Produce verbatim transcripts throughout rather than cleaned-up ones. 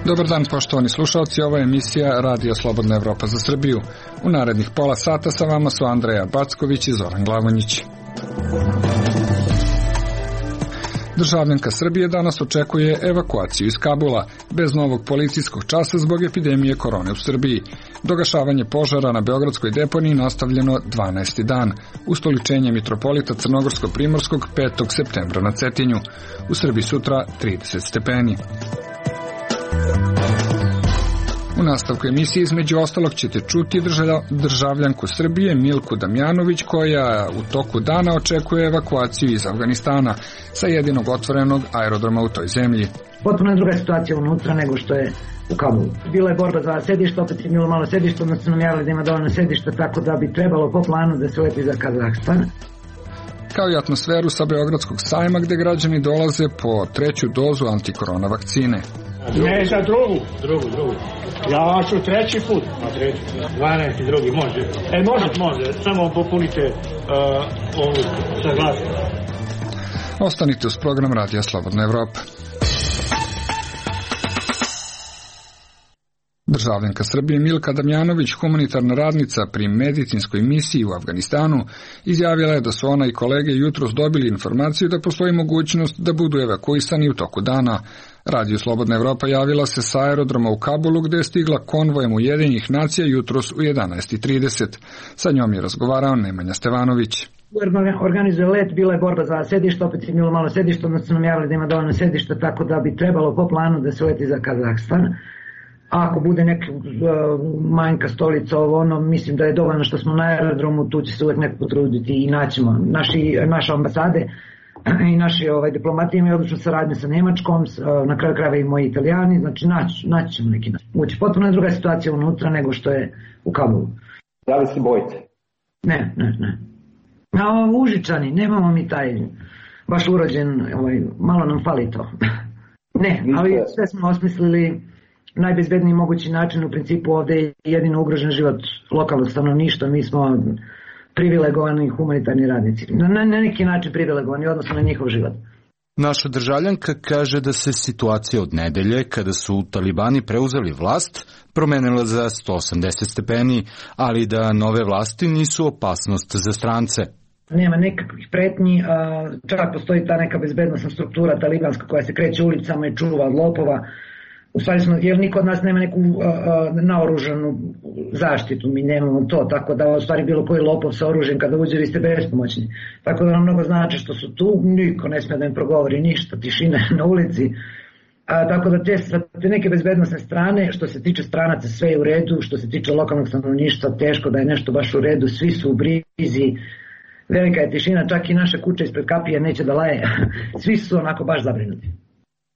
Dobar dan, poštovani slušalci, ovo je emisija Radio Slobodna Evropa za Srbiju. U narednih pola sata sa vama su Andreja Backović i Zoran Glavonjić. Državljanka Srbije danas očekuje evakuaciju iz Kabula, bez novog policijskog časa zbog epidemije korone u Srbiji. Dogašavanje požara na beogradskoj deponiji nastavljeno dvanaesti dan. Ustoličenje mitropolita Crnogorsko-Primorskog petog septembra na Cetinju. U Srbiji sutra trideset stepeni. U nastavku emisije između ostalog ćete čuti državljanku Srbije Milku Damjanović koja u toku dana očekuje evakuaciju iz Afganistana sa jedinog otvorenog aerodroma u toj zemlji. Potpuno je druga situacija unutra nego što je u Kabulu. Bila je borba za sedište, opet je bilo malo sedište, onda su nam javili da ima dovoljno sedišta, tako da bi trebalo po planu da se leti za Kazahstan. Kao i atmosferu sa Beogradskog sajma gde građani dolaze po treću dozu antikorona vakcine. Ne za drugu, drugu, drugu. Ja ću treći put, na treći, dvanaesti drugi, može. E, može, može, samo popunite uh, ovu saglasnost. Ostanite uz program Radija Slobodna Evropa. Državljanka Srbije Milka Damjanović, humanitarna radnica pri medicinskoj misiji u Afganistanu, izjavila je da su ona i kolege jutros dobili informaciju da postoji mogućnost da budu evakuisani u toku dana. Radio Slobodna Evropa javila se sa aerodroma u Kabulu gde je stigla konvojem Ujedinjenih nacija jutros u jedanaest trideset. Sa njom je razgovarao Nemanja Stevanović. Organizuje let, bila je borba za sedište, opet je bilo malo sedište, onda su nam javili da ima dovoljno sedišta, tako da bi trebalo po planu da se leti za Kazahstan. A ako bude neka uh, manjka stolica, ovo ono, mislim da je dovoljno što smo na aerodromu, tu će se uvek neko potruditi i naćemo. Naši, naše ambasade i naši ovaj, diplomati imaju odličnu saradnju sa Nemačkom, uh, na kraju krajeva i moji Italijani, znači naći, naći ćemo neki način. Ući potpuno je druga situacija unutra nego što je u Kabulu. Da li se bojite? Ne, ne, ne. A Užičani, nemamo mi taj baš urođen, ovaj, malo nam fali to. Ne, ali sve smo osmislili najbezbedniji mogući način. U principu ovde je jedino ugrožen život lokalnog stanovništva, mi smo privilegovani humanitarni radnici. Na, na neki način privilegovani, odnosno na njihov život. Naša državljanka kaže da se situacija od nedelje, kada su talibani preuzeli vlast, promenila za sto osamdeset stepeni, ali da nove vlasti nisu opasnost za strance. Nema nekakvih pretnji, čak postoji ta neka bezbednostna struktura talibanska koja se kreće ulicama i čuva od lopova. U stvari smo, jer niko od nas nema neku uh, naoružanu zaštitu, mi nemamo to, tako da u stvari bilo koji lopov sa oružjem kada uđe vi ste bespomoćni. Tako da nam mnogo znači što su tu, niko ne smije da im progovori ništa, tišina na ulici. A, tako da te, te neke bezbednostne strane, što se tiče stranaca sve je u redu, što se tiče lokalnog stanovništva teško da je nešto baš u redu, svi su u brizi, velika je tišina, čak i naša kuća ispred kapije neće da laje, svi su onako baš zabrinuti.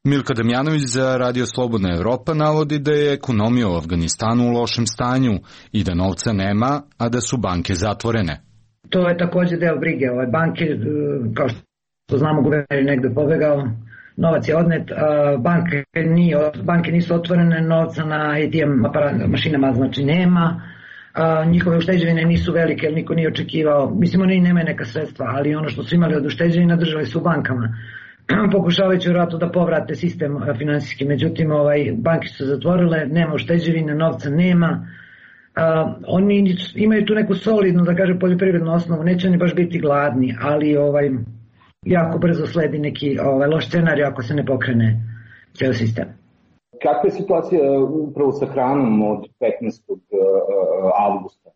Milka Damjanović za Radio Slobodna Evropa navodi da je ekonomija u Afganistanu u lošem stanju i da novca nema, a da su banke zatvorene. To je također deo brige. Ove banke, kao što znamo, guverner je negde pobegao, novac je odnet, banke, nije, banke nisu otvorene, novca na A T M mašinama znači nema, njihove ušteđevine nisu velike, jer niko nije očekivao, mislim oni nemaju neka sredstva, ali ono što su imali od ušteđevina držali su u bankama. Pokušavajući vjerojatno da povrate sistem finansijski, međutim ovaj, banke su zatvorile, nema ušteđevine, novca nema. Uh, oni imaju tu neku solidnu, da kaže, poljoprivrednu osnovu, neće oni baš biti gladni, ali ovaj, jako brzo sledi neki ovaj, loš scenarij ako se ne pokrene ceo sistem. Kakva je situacija upravo sa hranom od petnaestog avgusta?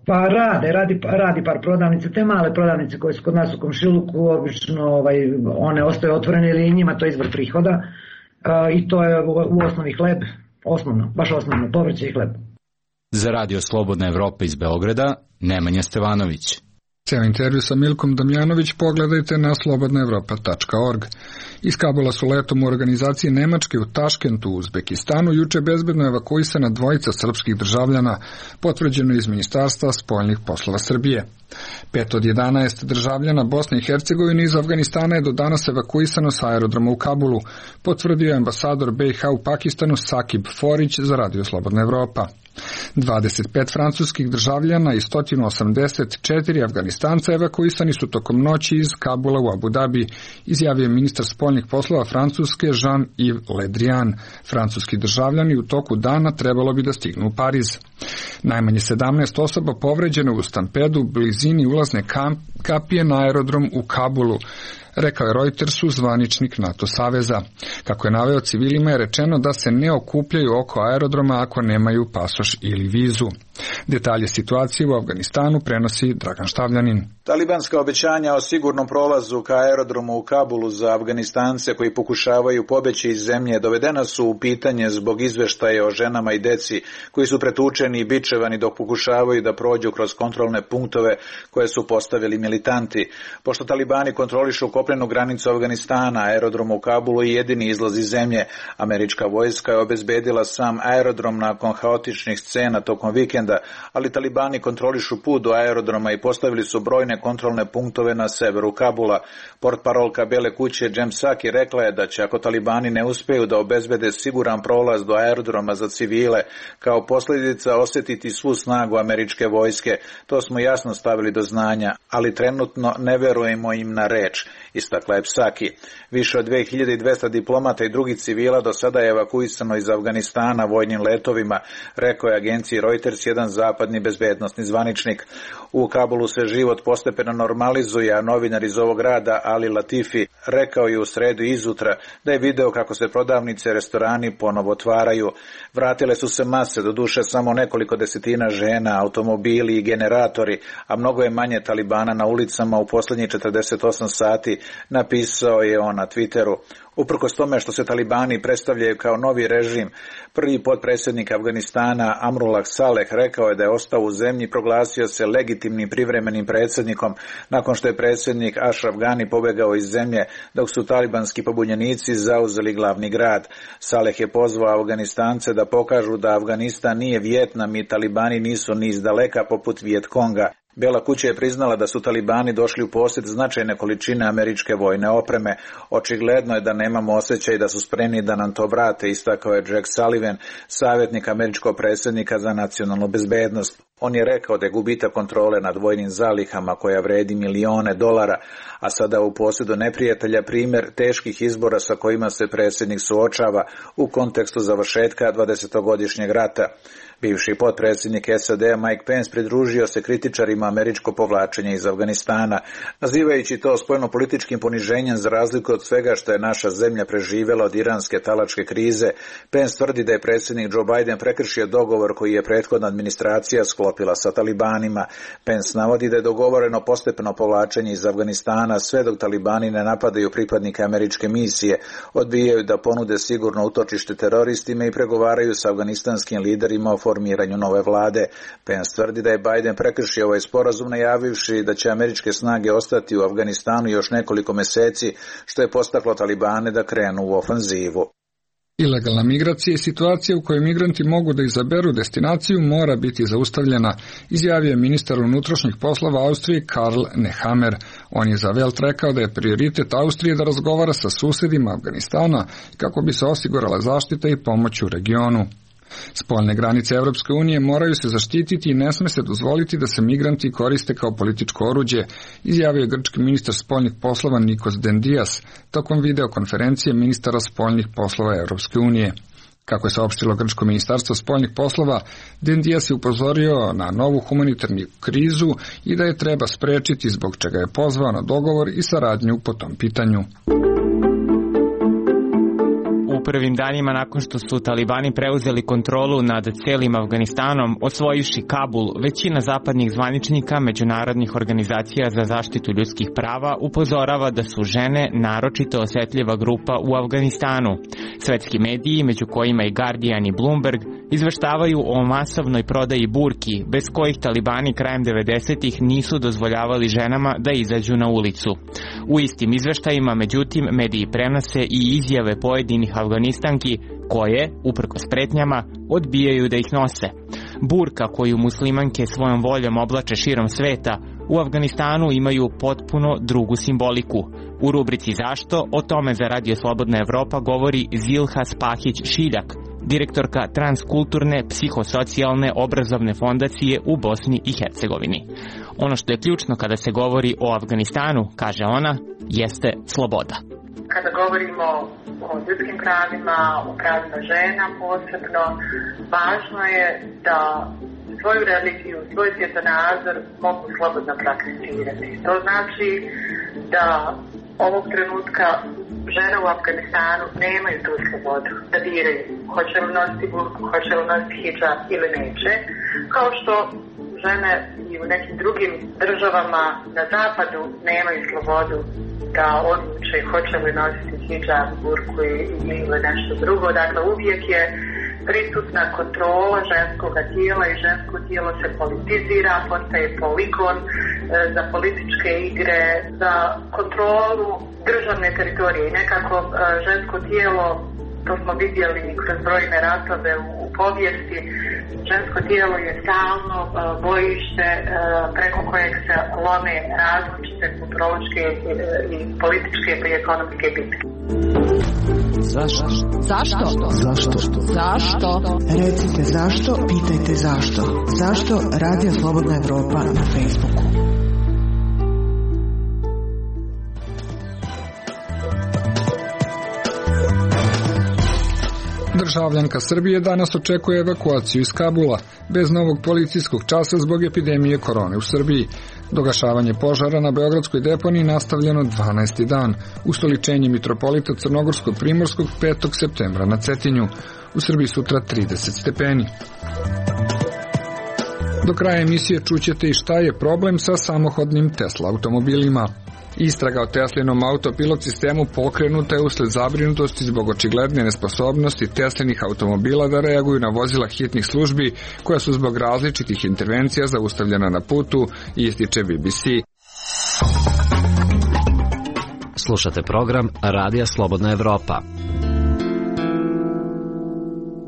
Pa rade, radi, radi par prodavnica, te male prodavnice koje su kod nas u komšiluku, obično ovaj, one ostaju otvorene ili njima to je izvor prihoda uh, i to je u, u osnovi hleb, osnovno, baš osnovno, povrće i hleb. Za Radio Slobodna Evropa iz Beograda, Nemanja Stevanović. Ceo intervju sa Milkom Damjanović pogledajte na slobodna evropa tačka org. Iz Kabula su letom u organizaciji Nemačke u Taškentu u Uzbekistanu juče bezbedno evakuisana dvojica srpskih državljana, potvrđeno iz Ministarstva spoljnih poslova Srbije. Pet od jedanaest državljana Bosne i Hercegovine iz Afganistana je do danas evakuisano sa aerodroma u Kabulu, potvrdio je ambasador B i H u Pakistanu Sakib Forić za Radio Slobodna Evropa. dvadeset pet francuskih državljana i sto osamdeset četiri afganistanskih Afganistanca evakuisani su tokom noći iz Kabula u Abu Dhabi, izjavio ministar spoljnih poslova Francuske Jean-Yves Le Drian. Francuski državljani u toku dana trebalo bi da stignu u Pariz. Najmanje sedamnaest osoba povređeno u stampedu u blizini ulazne kapije na aerodrom u Kabulu, rekao je Reutersu zvaničnik NATO saveza. Kako je naveo, civilima je rečeno da se ne okupljaju oko aerodroma ako nemaju pasoš ili vizu. Detalje situacije u Afganistanu prenosi Dragan Štavljanin. Talibanska obećanja o sigurnom prolazu ka aerodromu u Kabulu za Afganistance koji pokušavaju pobeći iz zemlje dovedena su u pitanje zbog izveštaja o ženama i deci koji su pretučeni i bičevani dok pokušavaju da prođu kroz kontrolne punktove koje su postavili militanti. Pošto talibani kontrolišu kopnenu granicu Afganistana, aerodrom u Kabulu je jedini izlaz iz zemlje. Američka vojska je obezbedila sam aerodrom nakon haotičnih scena tokom vikenda, ali talibani kontrolišu put do aerodroma i postavili su brojne kontrolne punktove na severu Kabula. Portparolka Bele kuće Jem Psaki rekla je da će, ako talibani ne uspeju da obezbede siguran prolaz do aerodroma za civile, kao posljedica osjetiti svu snagu američke vojske. To smo jasno stavili do znanja, ali trenutno ne verujemo im na reč, istakla je Psaki. Više od dve hiljade dvesta diplomata i drugih civila do sada je evakuisano iz Afganistana vojnim letovima, rekao je agenciji Reuters jedan zapadni bezbednosni zvaničnik. U Kabulu se život postepeno normalizuje, a novinar iz ovog grada Ali Latifi rekao je u sredu izutra da je video kako se prodavnice i restorani ponovo otvaraju. Vratile su se mase, doduše samo nekoliko desetina žena, automobili i generatori, a mnogo je manje talibana na ulicama u posljednjih četrdeset osam sati, napisao je on na Twitteru. Uprkos tome što se talibani predstavljaju kao novi režim, prvi potpredsjednik Afganistana Amrullah Saleh rekao je da je ostao u zemlji i proglasio se legitimnim privremenim predsjednikom nakon što je predsjednik Ashraf Ghani pobegao iz zemlje dok su talibanski pobunjenici zauzeli glavni grad. Saleh je pozvao Afganistance da pokažu da Afganistan nije Vijetnam i talibani nisu ni izdaleka poput Vijetkonga. Bela kuća je priznala da su talibani došli u posjed značajne količine američke vojne opreme. Očigledno je da nemamo osjećaj da su spremni da nam to vrate, istakao je Jack Sullivan, savjetnik američkog predsjednika za nacionalnu bezbednost. On je rekao da je gubitak kontrole nad vojnim zalihama koja vredi milione dolara, a sada u posjedu neprijatelja primjer teških izbora sa kojima se predsjednik suočava u kontekstu završetka dvadesetogodišnjeg rata. Bivši potpredsjednik S A D Mike Pence pridružio se kritičarima američko povlačenje iz Afganistana, nazivajući to spoljnopolitičkim poniženjem za razliku od svega što je naša zemlja preživjela od iranske talačke krize. Pence tvrdi da je predsjednik Joe Biden prekršio dogovor koji je prethodna administracija sklopila sa talibanima. Pence navodi da je dogovoreno postepeno povlačenje iz Afganistana sve dok talibani ne napadaju pripadnike američke misije, odbijaju da ponude sigurno utočište teroristima i pregovaraju sa afganistanskim liderima o formiranju nove vlade. Pence tvrdi da je Biden prekršio ovaj sporazum najavivši da će američke snage ostati u Afganistanu još nekoliko mjeseci, što je postaklo talibane da krenu u ofanzivu. Ilegalna migracija i situacija u kojoj migranti mogu da izaberu destinaciju mora biti zaustavljena, izjavio je ministar unutrašnjih poslova Austrije Karl Nehammer. On je za Welt rekao da je prioritet Austrije da razgovara sa susedima Afganistana kako bi se osigurala zaštita i pomoć u regionu. Spoljne granice Evropske unije moraju se zaštititi i ne sme se dozvoliti da se migranti koriste kao političko oruđe, izjavio je grčki ministar spoljnih poslova Nikos Dendias tokom videokonferencije ministara spoljnih poslova Evropske unije. Kako je saopštilo grčko ministarstvo spoljnih poslova, Dendias je upozorio na novu humanitarnu krizu i da je treba sprečiti, zbog čega je pozvao na dogovor i saradnju po tom pitanju. U prvim danima nakon što su talibani preuzeli kontrolu nad celim Afganistanom, osvojivši Kabul, većina zapadnih zvaničnika međunarodnih organizacija za zaštitu ljudskih prava upozorava da su žene naročito osjetljiva grupa u Afganistanu. Svetski mediji, među kojima i Guardian i Bloomberg, izveštavaju o masovnoj prodaji burki, bez kojih talibani krajem devedesetih nisu dozvoljavali ženama da izađu na ulicu. U istim izveštajima, međutim, mediji prenose i izjave pojedinih Afganistanki koje, uprkos pretnjama, odbijaju da ih nose. Burka koju muslimanke svojom voljom oblače širom sveta u Afganistanu imaju potpuno drugu simboliku. U rubrici Zašto o tome za Radio Slobodna Evropa govori Zilha Spahić-Šiljak, direktorka Transkulturne psihosocijalne obrazovne fondacije u Bosni i Hercegovini. Ono što je ključno kada se govori o Afganistanu, kaže ona, jeste sloboda. Kada govorimo o ljudskim pravima, o pravima žena posebno, važno je da svoju religiju, svoj svjetonazor mogu slobodno prakticirati. To znači da ovog trenutka žene u Afganistanu nemaju tu slobodu da biraju hoće li nositi burku, hoće li nositi hidžab ili neće, kao što žene i u nekim drugim državama na zapadu nemaju slobodu da odluče hoće li nositi hidžab, burku ili nešto drugo. Dakle, uvijek je prisutna kontrola ženskog tijela i žensko tijelo se politizira, postaje poligon e, za političke igre, za kontrolu državne teritorije. I nekako e, žensko tijelo, to smo vidjeli kroz brojne ratove u, u povijesti, žensko tijelo je stalno e, bojište e, preko kojeg se lome različite kulturološke e, i političke pa i ekonomske bitke. Zašto? Zašto? Zašto? Zašto? Recite zašto, pitajte zašto. Zašto Radio Slobodna Evropa na Facebooku? Državljanka Srbije danas očekuje evakuaciju iz Kabula, bez novog policijskog časa zbog epidemije korone u Srbiji. Dogašavanje požara na beogradskoj deponiji nastavljeno dvanaesti dan, ustoličenje mitropolita Crnogorsko-Primorskog petog septembra na Cetinju. U Srbiji sutra trideset stepeni. Do kraja emisije čućete i šta je problem sa samohodnim Tesla automobilima. Istraga o Teslinom autopilot sistemu pokrenuta je usled zabrinutosti zbog očigledne nesposobnosti Teslinih automobila da reaguju na vozila hitnih službi koja su zbog različitih intervencija zaustavljena na putu, ističe B B C. Slušate program Radija Slobodna Evropa.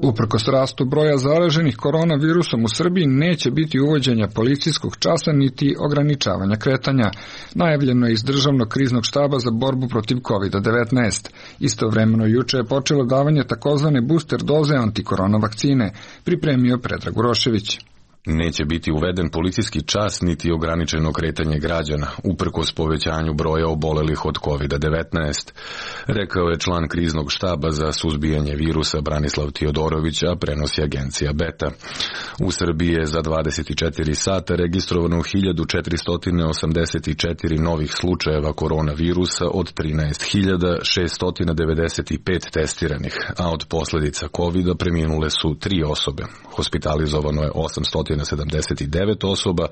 Uprkos rastu broja zaraženih koronavirusom u Srbiji neće biti uvođenja policijskog časa niti ograničavanja kretanja. Najavljeno je iz Državnog kriznog štaba za borbu protiv kovid devetnaest. Istovremeno juče je počelo davanje takozvane booster doze antikorona vakcine, pripremio Predrag Urošević. Neće biti uveden policijski čas niti ograničeno kretanje građana, uprkos povećanju broja obolelih od kovid devetnaest, rekao je član kriznog štaba za suzbijanje virusa Branislav Tiodorović, a prenosi agencija Beta. U Srbiji je za dvadeset četiri sata registrovano hiljadu četiristo osamdeset četiri novih slučajeva koronavirusa od trinaest hiljada šeststo devedeset pet testiranih, a od posljedica kovida preminule su tri osobe. Hospitalizovano je osamsto sedamdeset devet osoba,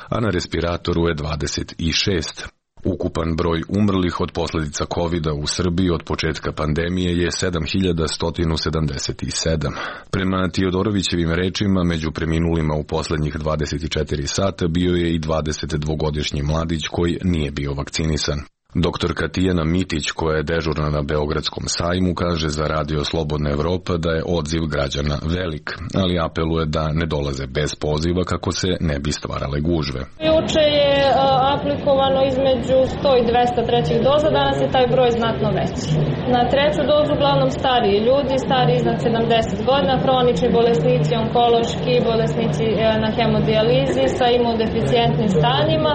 a na respiratoru je dvadeset šest. Ukupan broj umrlih od posljedica kovida u Srbiji od početka pandemije je sedam hiljada sto sedamdeset sedam. Prema Tiodorovićevim rečima, među preminulima u posljednjih dvadeset četiri sata bio je i dvadesetdvogodišnji mladić koji nije bio vakcinisan. Doktorka Tijana Mitić, koja je dežurna na Beogradskom sajmu, kaže za Radio Slobodna Evropa da je odziv građana velik, ali apeluje da ne dolaze bez poziva kako se ne bi stvarale gužve. Juče je aplikovano između sto i dvesta trećih doza, danas je taj broj znatno veći. Na treću dozu uglavnom stariji ljudi, stariji iznad sedamdeset godina, hronični bolesnici, onkološki bolesnici na hemodijalizi sa imunodeficijentnim stanjima,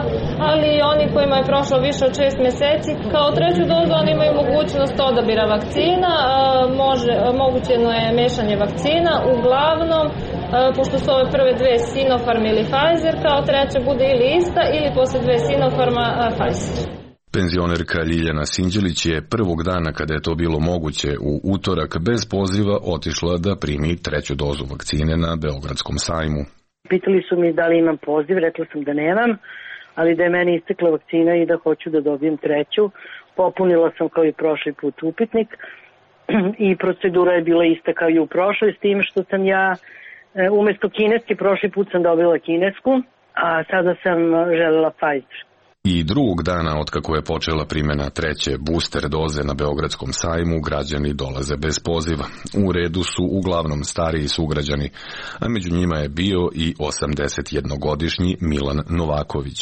ali i oni kojima je prošlo više od šest mjeseci. Kao treću dozu oni imaju mogućnost odabira vakcina, može, mogućeno je mešanje vakcina, uglavnom, pošto su ove prve dve Sinopharm ili Pfizer, kao treća bude ili ista ili posle dve Sinopharma Pfizer. Penzionerka Ljiljana Sinđelić je prvog dana kada je to bilo moguće u utorak bez poziva otišla da primi treću dozu vakcine na Beogradskom sajmu. Pitali su mi da li imam poziv, rekla sam da nemam, ali da je meni istekla vakcina i da hoću da dobijem treću. Popunila sam kao i prošli put upitnik i procedura je bila ista kao i u prošloj, s tim što sam ja umesto kineske prošli put sam dobila kinesku, a sada sam želela Pfizer. I drugog dana otkako je počela primjena treće booster doze na Beogradskom sajmu, građani dolaze bez poziva. U redu su uglavnom stariji sugrađani, a među njima je bio i osamdesetjednogodišnji Milan Novaković.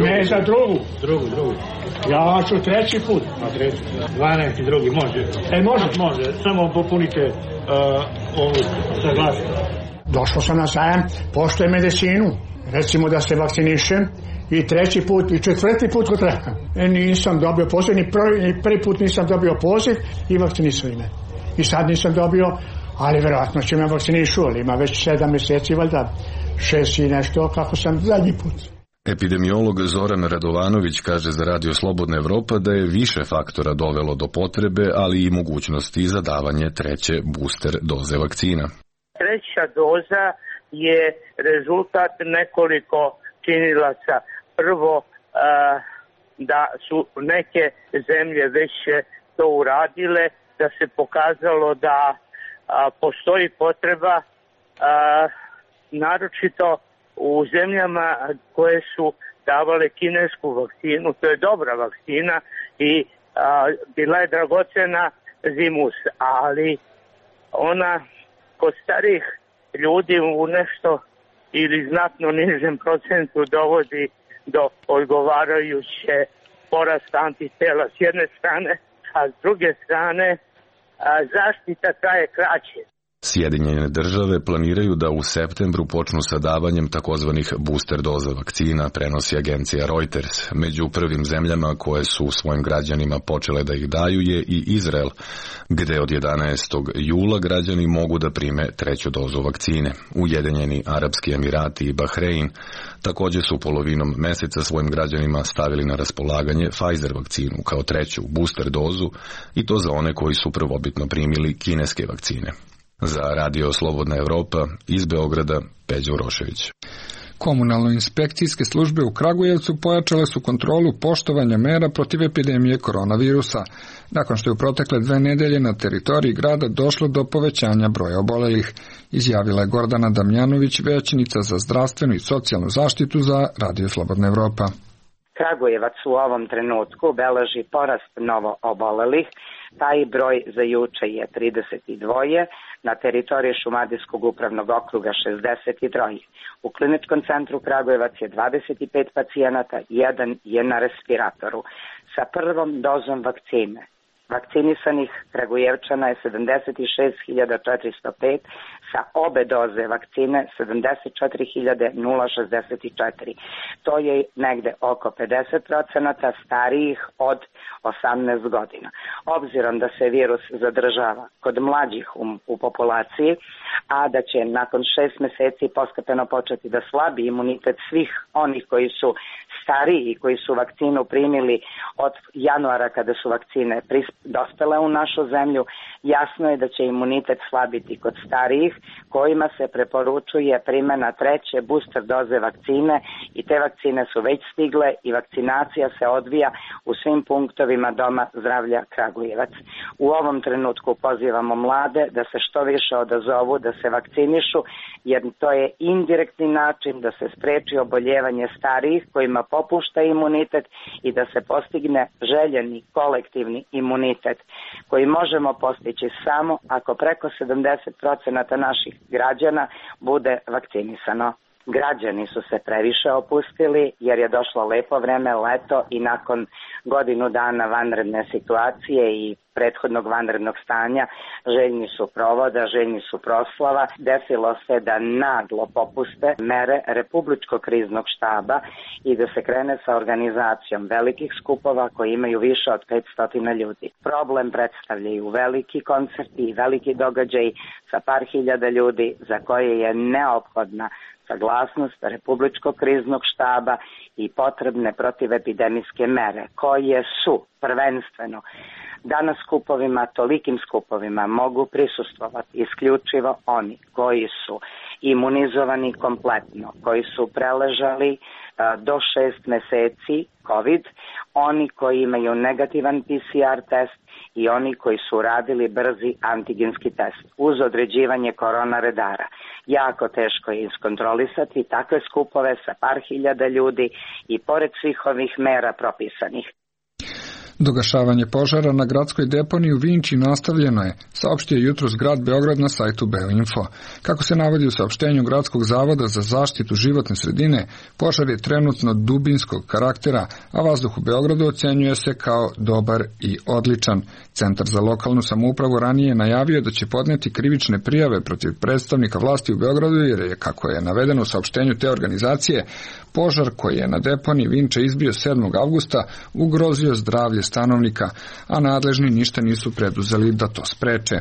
Ne, za drugu, drugu, drugu. Ja ću treći put, a treći, dvanaesti drugi, može. E, može, može, samo popunite uh, ovu saglasnost. Došao sam na sajam, poštujem medicinu, recimo da se vakcinišem i treći put i četvrti put kod reka. E, nisam dobio poziv, ni prvi, prvi put nisam dobio poziv i vakcinisali me. I sad nisam dobio, ali verovatno će me vakcinišu, ali ima već sedam mjeseci, valjda šest i nešto, kako sam zadnji put. Epidemiolog Zoran Radovanović kaže za Radio Slobodna Evropa da je više faktora dovelo do potrebe, ali i mogućnosti za davanje treće booster doze vakcina. Treća doza je rezultat nekoliko činilaca. Prvo, da su neke zemlje već to uradile, da se pokazalo da postoji potreba, naročito u zemljama koje su davale kinesku vakcinu. To je dobra vakcina i a, bila je dragocena zimus, ali ona kod starih ljudi u nešto ili znatno nižem procentu dovodi do odgovarajuće porasta antitela s jedne strane, a s druge strane a, zaštita traje kraće. Sjedinjene države planiraju da u septembru počnu sa davanjem takozvanih booster doza vakcina, prenosi agencija Reuters. Među prvim zemljama koje su svojim građanima počele da ih daju je i Izrael, gde od jedanaestog jula građani mogu da prime treću dozu vakcine. Ujedinjeni Arapski Emirati i Bahrein također su polovinom meseca svojim građanima stavili na raspolaganje Pfizer vakcinu kao treću booster dozu, i to za one koji su prvobitno primili kineske vakcine. Za Radio Slobodna Evropa iz Beograda, Peđa Urošević. Komunalno-inspekcijske službe u Kragujevcu pojačale su kontrolu poštovanja mera protiv epidemije koronavirusa, nakon što je u protekle dve nedelje na teritoriji grada došlo do povećanja broja obolelih, izjavila je Gordana Damjanović, većnica za zdravstvenu i socijalnu zaštitu za Radio Slobodna Evropa. Kragujevac u ovom trenutku beleži porast novo obolelih. Taj broj za juče je trideset dva, na teritoriji Šumadijskog upravnog okruga šezdeset tri. U kliničkom centru Kragujevac je dvadeset pet pacijenata, jedan je na respiratoru. Sa prvom dozom vakcine vakcinisanih Kragujevčana je sedamdeset šest hiljada četiristo pet, sa obe doze vakcine sedamdeset četiri hiljade šezdeset četiri. To je negde oko pedeset procenata starijih od osamnaest godina. Obzirom da se virus zadržava kod mlađih u, u populaciji, a da će nakon šest meseci postepeno početi da slabi imunitet svih onih koji su stariji i koji su vakcinu primili od januara kada su vakcine dospele u našu zemlju, jasno je da će imunitet slabiti kod starijih, kojima se preporučuje primjena treće booster doze vakcine, i te vakcine su već stigle i vakcinacija se odvija u svim punktovima Doma zdravlja Kragujevac. U ovom trenutku pozivamo mlade da se što više odazovu, da se vakcinišu, jer to je indirektni način da se spreči oboljevanje starijih kojima popušta imunitet i da se postigne željeni kolektivni imunitet koji možemo postići samo ako preko sedamdeset procenata naših građana bude vakcinisano. Građani su se previše opustili jer je došlo lepo vreme, leto, i nakon godinu dana vanredne situacije i prethodnog vanrednog stanja željni su provoda, željni su proslava. Desilo se da naglo popuste mere Republičkog kriznog štaba i da se krene sa organizacijom velikih skupova koji imaju više od petsto ljudi. Problem predstavljaju veliki koncerti i veliki događaj sa par hiljada ljudi za koje je neophodna saglasnost Republičkog kriznog štaba i potrebne protivepidemijske mere, koje su prvenstveno da na skupovima, tolikim skupovima mogu prisustvovati isključivo oni koji su imunizovani kompletno, koji su preležali a, do šest meseci COVID, oni koji imaju negativan P C R test i oni koji su radili brzi antigenski test uz određivanje korona redara. Jako teško je iskontrolisati takve skupove sa par hiljada ljudi i pored svih ovih mera propisanih. Dogašavanje požara na gradskoj deponiji u Vinči nastavljeno je, saopštio jutros grad Beograd na sajtu Beoinfo. Kako se navodi u saopštenju Gradskog zavoda za zaštitu životne sredine, požar je trenutno dubinskog karaktera, a vazduh u Beogradu ocenjuje se kao dobar i odličan. Centar za lokalnu samoupravu ranije je najavio da će podneti krivične prijave protiv predstavnika vlasti u Beogradu, jer je, kako je navedeno u saopštenju te organizacije, Požar koji je na deponiji Vinča izbio sedmog avgusta ugrozio zdravlje stanovnika, a nadležni ništa nisu preduzeli da to spreče.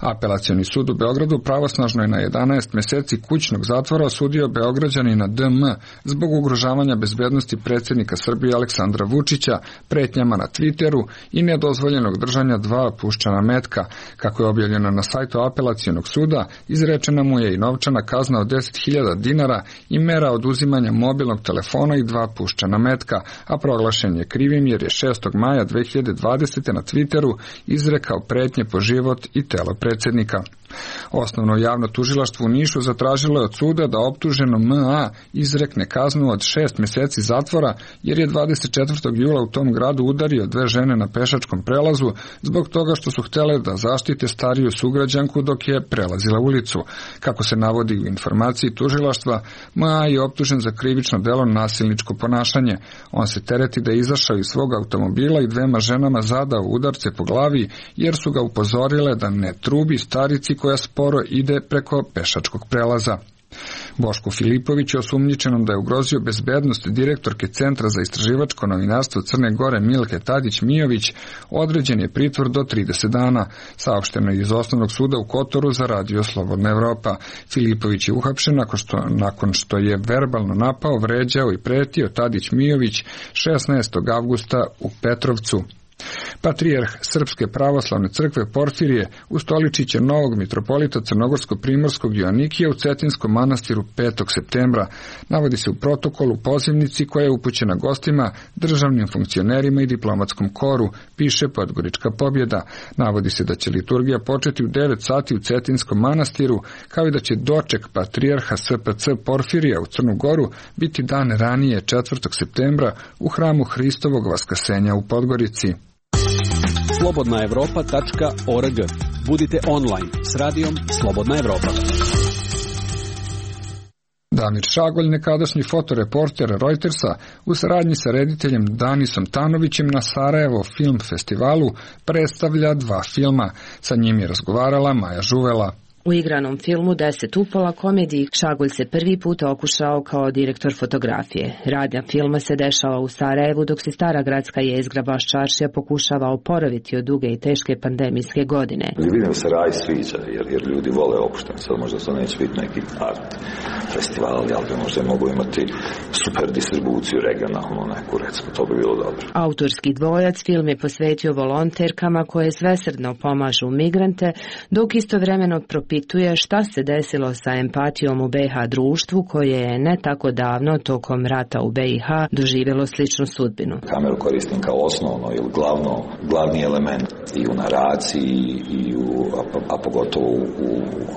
Apelacioni sud u Beogradu pravosnažno je na jedanaest meseci kućnog zatvora osudio Beograđanina D M zbog ugrožavanja bezbednosti predsjednika Srbije Aleksandra Vučića, pretnjama na Twitteru i nedozvoljenog držanja dva puščana metka. Kako je objavljeno na sajtu apelacionog suda, izrečena mu je i novčana kazna od deset hiljada dinara i mera oduzimanja mobilnog telefona i dva puščana metka, a proglašen je krivim jer je šestog maja dve hiljade dvadesete. na Twitteru izrekao pretnje po život i telo predsjednika. Osnovno javno tužilaštvo u Nišu zatražilo je od suda da optuženom M A izrekne kaznu od šest meseci zatvora jer je dvadeset četvrtog jula u tom gradu udario dve žene na pešačkom prelazu zbog toga što su htjele da zaštite stariju sugrađanku dok je prelazila ulicu. Kako se navodi u informaciji tužilaštva, M A je optužen za krivično delo nasilničko ponašanje. On se tereti da je izašao iz svog automobila i dvema ženama zadao udarce po glavi jer su ga upozorile da ne trubi starici koja sporo ide preko pešačkog prelaza. Boško Filipović je osumnjičenom da je ugrozio bezbednost direktorke Centra za istraživačko novinarstvo Crne Gore Milke Tadić-Mijović određen je pritvor do trideset dana, saopšteno je iz Osnovnog suda u Kotoru za radio Slobodna Evropa. Filipović je uhapšen nakon što, nakon što je verbalno napao, vređao i pretio Tadić-Mijović šesnaestog avgusta u Petrovcu. Patrijarh Srpske pravoslavne crkve Porfirije ustoličit će novog mitropolita Crnogorsko-Primorskog Joanikija u Cetinskom manastiru petog septembra. Navodi se u protokolu pozivnici koja je upućena gostima, državnim funkcionerima i diplomatskom koru, piše Podgorička pobjeda. Navodi se da će liturgija početi u devet sati u Cetinskom manastiru, kao i da će doček patrijarha S P C Porfirija u Crnu Goru biti dan ranije četvrtog septembra u hramu Hristovog Vaskasenja u Podgorici. slobodna evropa tačka org. Budite online s radijom Slobodna Evropa. Damir Šagolj, nekadašnji fotoreporter Reutersa, u saradnji sa rediteljem Danisom Tanovićem na Sarajevo Film Festivalu predstavlja dva filma. Sa njim je razgovarala Maja Žuvela. U igranom filmu Deset upola komediji Šagolj se prvi put okušao kao direktor fotografije. Radnja filma se dešava u Sarajevu dok se stara gradska jezgra Baščaršija pokušava oporaviti od duge i teške pandemijske godine. Vidim se raj sviđa jer, jer ljudi vole opušteno. Sad možda to neće biti neki art festival, ali bi možda mogu imati super distribuciju regionalnu neku, recimo, to bi bilo dobro. Autorski dvojac film je posvetio volonterkama koje svesrdno pomažu migrante, dok istovremeno propituje šta se desilo sa empatijom u B i H društvu koje je ne tako davno tokom rata u B i H doživjelo sličnu sudbinu. Kameru koristim kao osnovno ili glavno, glavni element i u naraciji i u, a, a pogotovo u,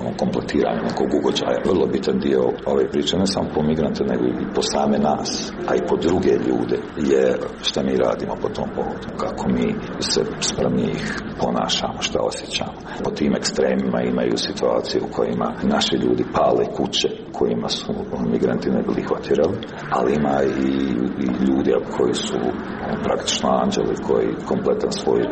u kompletiranju nekog ugođaja. Vrlo bitan dio ove priče ne samo po migrante nego i po same nas, a i po druge ljude je šta mi radimo po tom povodu, kako mi se sprem njih ponašamo, šta osjećamo. Po tim ekstremima imaju situacije u kojima naši ljudi pale kuće kojima su migranti ne bili hvatirali, ali ima i, i ljudi koji su praktično anđeli koji kompletan svoj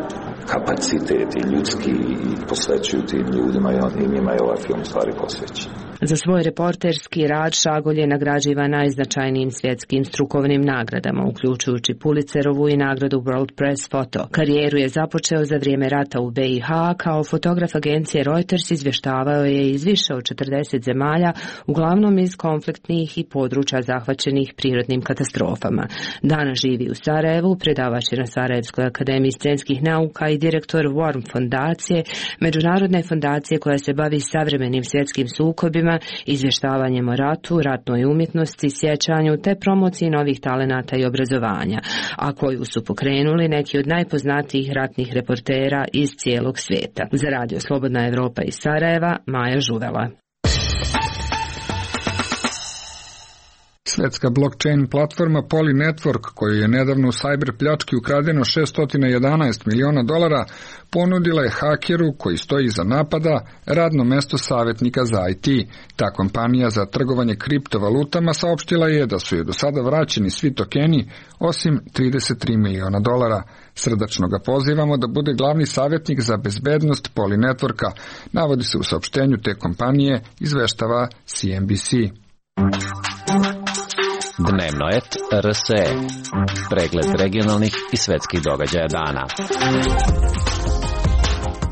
kapacitet i ljudski i posvećuju tim ljudima i njima je ovaj film stvari posvećen. Za svoj reporterski rad Šagolj je nagrađivan najznačajnijim svjetskim strukovnim nagradama, uključujući Pulitzerovu i nagradu World Press Photo. Karijeru je započeo za vrijeme rata u B i H, kao fotograf agencije Reuters izvještavao je iz više od četrdeset zemalja, uglavnom iz konfliktnih i područja zahvaćenih prirodnim katastrofama. Danas živi u Sarajevu, predavač je na Sarajevskoj akademiji scenskih nauka i direktor Worm fondacije, međunarodne fondacije koja se bavi savremenim svjetskim sukobima, izvještavanjem o ratu, ratnoj umjetnosti, sjećanju te promociji novih talenata i obrazovanja, a koju su pokrenuli neki od najpoznatijih ratnih reportera iz cijelog svijeta. Za radio Slobodna Evropa iz Sarajeva, Maja Žuvela. Svetska blockchain platforma Poly Network, koju je nedavno u cyber pljački ukradeno šesto jedanaest miliona dolara, ponudila je hakeru koji stoji iza napada radno mesto savjetnika za I T. Ta kompanija za trgovanje kriptovalutama saopštila je da su je do sada vraćeni svi tokeni osim trideset tri miliona dolara. Srdačno ga pozivamo da bude glavni savjetnik za bezbednost Poly Networka, navodi se u saopštenju te kompanije, izveštava C N B C. Dnevno et R S E. Pregled regionalnih i svetskih događaja dana.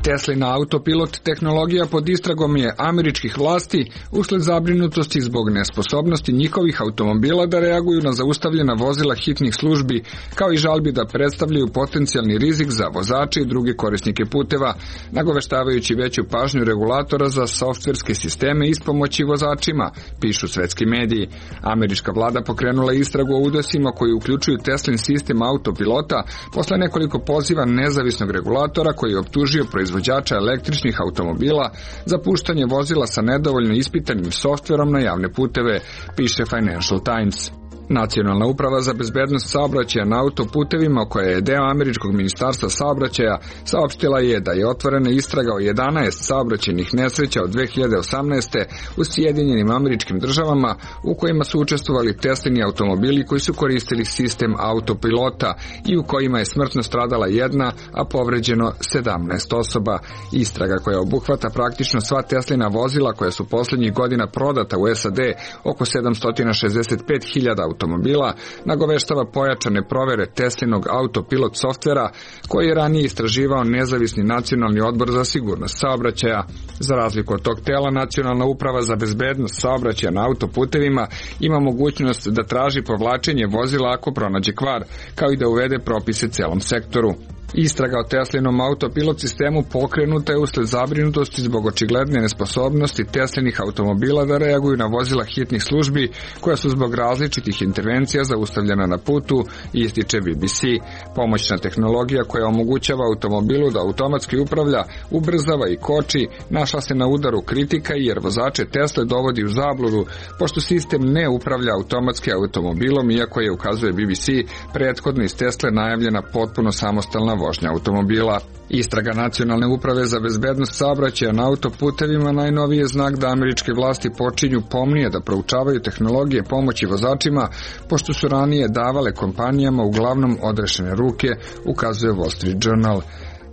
Teslina autopilot tehnologija pod istragom je američkih vlasti usled zabrinutosti zbog nesposobnosti njihovih automobila da reaguju na zaustavljena vozila hitnih službi, kao i žalbi da predstavljaju potencijalni rizik za vozače i druge korisnike puteva, nagoveštavajući veću pažnju regulatora za softverske sisteme ispomoći vozačima, pišu svetski mediji. Američka vlada pokrenula istragu o udesima koji uključuju Teslin sistem autopilota posle nekoliko poziva nezavisnog regulatora koji je optužio proizvođača električnih automobila za puštanje vozila sa nedovoljno ispitanim softverom na javne puteve, piše Financial Times. Nacionalna uprava za bezbednost saobraćaja na autoputevima, koja je deo američkog ministarstva saobraćaja, saopštila je da je otvorena istraga o jedanaest saobraćajnih nesreća od dve hiljade osamnaeste u Sjedinjenim Američkim Državama u kojima su učestvovali Teslini automobili koji su koristili sistem autopilota i u kojima je smrtno stradala jedna, a povređeno sedamnaest osoba. Istraga koja obuhvata praktično sva Teslina vozila koja su poslednjih godina prodata u S A D, oko sedamsto šezdeset pet hiljada automobila, nagoveštava pojačane provere Teslinog autopilot softvera koji je ranije istraživao nezavisni nacionalni odbor za sigurnost saobraćaja. Za razliku od tog tela, Nacionalna uprava za bezbednost saobraćaja na autoputevima ima mogućnost da traži povlačenje vozila ako pronađe kvar, kao i da uvede propise celom sektoru. Istraga o Teslinom autopilot sistemu pokrenuta je usled zabrinutosti zbog očigledne nesposobnosti Teslinih automobila da reaguju na vozila hitnih službi koja su zbog različitih intervencija zaustavljena na putu, ističe B B C. Pomoćna tehnologija koja omogućava automobilu da automatski upravlja, ubrzava i koči, našla se na udaru kritika jer vozače Tesle dovodi u zabludu, pošto sistem ne upravlja automatski automobilom, iako je, ukazuje B B C, prethodno iz Tesle najavljena potpuno samostalna vožnja automobila. Istraga Nacionalne uprave za bezbednost saobraćaja na autoputevima najnoviji je znak da američke vlasti počinju pomnije da proučavaju tehnologije pomoći vozačima, pošto su ranije davale kompanijama uglavnom odrešene ruke, ukazuje Wall Street Journal.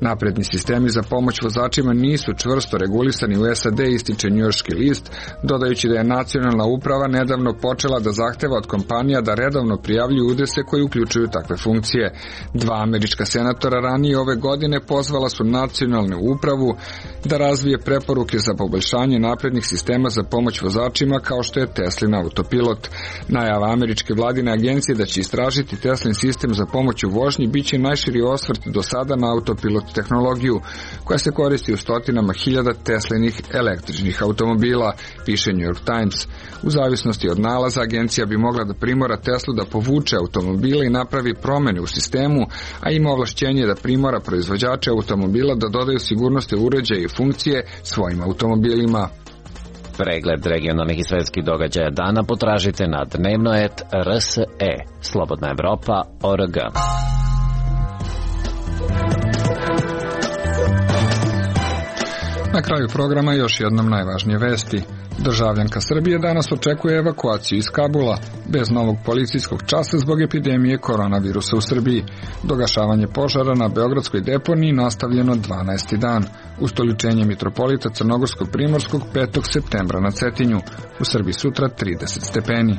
Napredni sistemi za pomoć vozačima nisu čvrsto regulisani u S A D, ističe njujorški list, dodajući da je Nacionalna uprava nedavno počela da zahteva od kompanija da redovno prijavljuju udese koji uključuju takve funkcije. Dva američka senatora ranije ove godine pozvala su Nacionalnu upravu da razvije preporuke za poboljšanje naprednih sistema za pomoć vozačima kao što je Teslin autopilot. Najava američke vladine agencije da će istražiti Teslin sistem za pomoć u vožnji biće najširi osvrt do sada na autopilot tehnologiju koja se koristi u stotinama hiljada Teslinih električnih automobila, piše New York Times. U zavisnosti od nalaza, agencija bi mogla da primora Teslu da povuče automobile i napravi promene u sistemu, a ima ovlašćenje da primora proizvođače automobila da dodaju sigurnosne uređaje i funkcije svojim automobilima. Pregled regionalnih i svetskih događaja dana potražite na dnevno et R S E. Slobodna Evropa O R G. Na kraju programa još jednom najvažnije vesti. Državljanka Srbije danas očekuje evakuaciju iz Kabula, bez novog policijskog časa zbog epidemije koronavirusa u Srbiji. Dogašavanje požara na beogradskoj deponiji nastavljeno dvanaesti dan. Ustoličenje mitropolita Crnogorsko-Primorskog petog septembra na Cetinju. U Srbiji sutra trideset stepeni.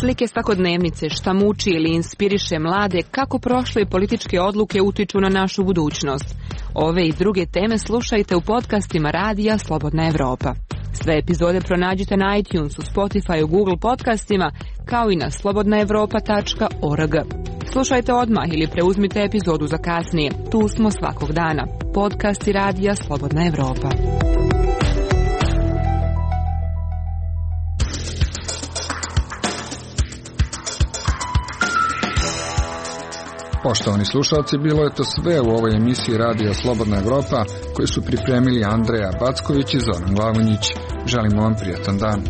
Slike svakodnevnice, šta muči ili inspiriše mlade, kako prošle političke odluke utiču na našu budućnost. Ove i druge teme slušajte u podcastima Radija Slobodna Evropa. Sve epizode pronađite na iTunesu, Spotifyu, Google podcastima, kao i na slobodna evropa tačka org. Slušajte odmah ili preuzmite epizodu za kasnije. Tu smo svakog dana. Podcasti Radija Slobodna Evropa. Poštovani slušalci, bilo je to sve u ovoj emisiji Radija Slobodna Evropa koju su pripremili Andreja Backović i Zoran Glavonjić. Želimo vam prijatan dan.